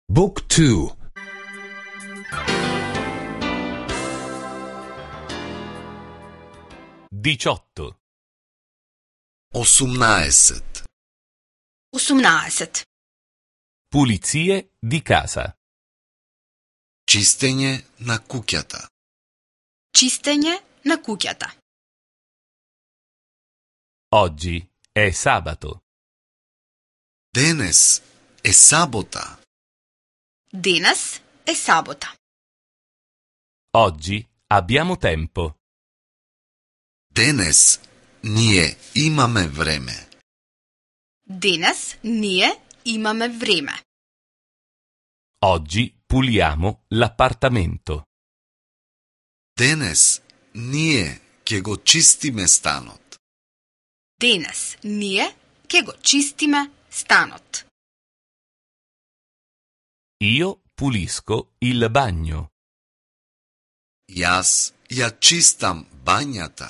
Book 2. 18. 18. 18. Pulizie di casa. Чистење на куќата. Чистење на куќата. Oggi è sabato. Денес е сабота. Денес е сабота. Oggi abbiamo tempo. Денес ние имаме време. Денес ние имаме време. Oggi puliamo l'appartamento. Денес ние ќе го чистиме станот. Денес ние ќе го чистиме станот. Io pulisco il bagno. Јас ја чистам бањата.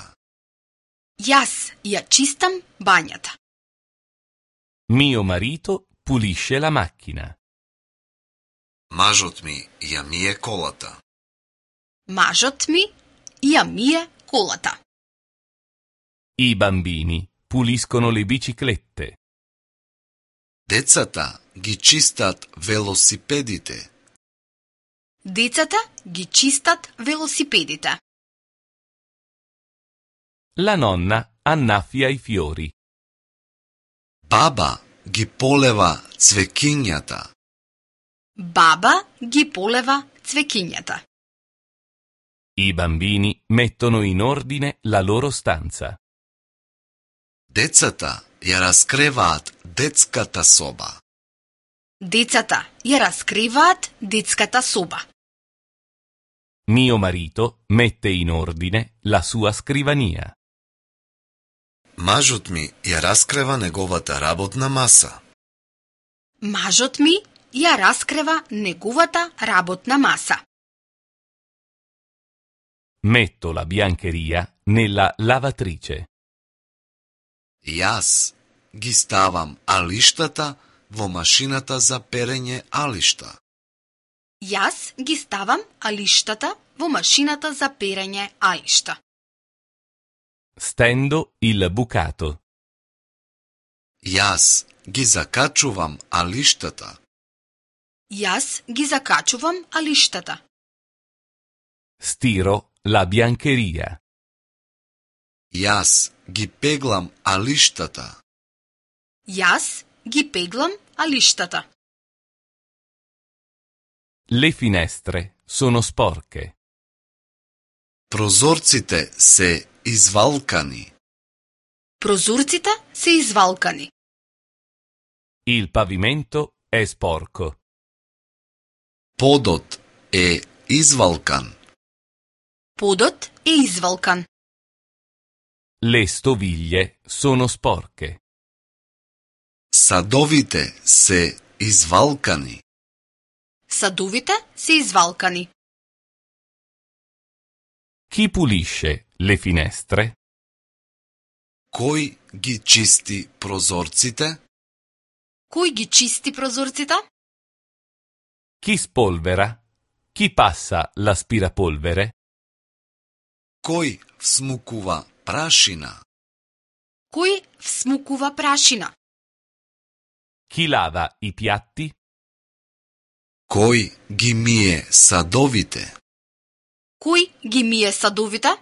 Јас ја чистам бањата. Mio marito pulisce la macchina. Мажот ми ја мие колата. Мажот ми ја мие колата. I bambini puliscono le biciclette. Децата ги чистат велосипедите. Децата ги чистат велосипедите. La nonna annaffia i fiori. Баба ги полева цвекињата. Баба ги полева цвекињата. I bambini mettono in ordine la loro stanza. Децата ја раскреваат детската соба. Децата ја раскриваат детската соба. Mio marito mette in ordine la sua scrivania. Мажот ми ја раскрева неговата работна маса. Мажот ми ја раскрева неговата работна маса. Metto la biancheria nella lavatrice. Јас ги ставам алиштата во машината за перење алишта. Јас ги ставам алиштата во машината за перење алишта. Stendo il bucato. Јас ги закачувам алиштата. Јас ги закачувам алиштата. Stiro la biancheria. Јас ги пеглам алиштата. Јас ги пеглам алиштата. Le finestre sono sporche. Прозорците се извалкани. Прозорците се извалкани. Il pavimento è sporco. Подот е извалкан. Подот е извалкан. Le stoviglie sono sporche. Садовите се извалкани. Садовите се извалкани. Chi pulisce le finestre? Кој ги чисти прозорците? Кој ги чисти прозорците? Chi spolvera? Chi passa l'aspirapolvere? Кој всмукува прашина? Кој всмукува прашина? Chi lava i piatti? Кој ги мие садовите? Кој ги мие садовите?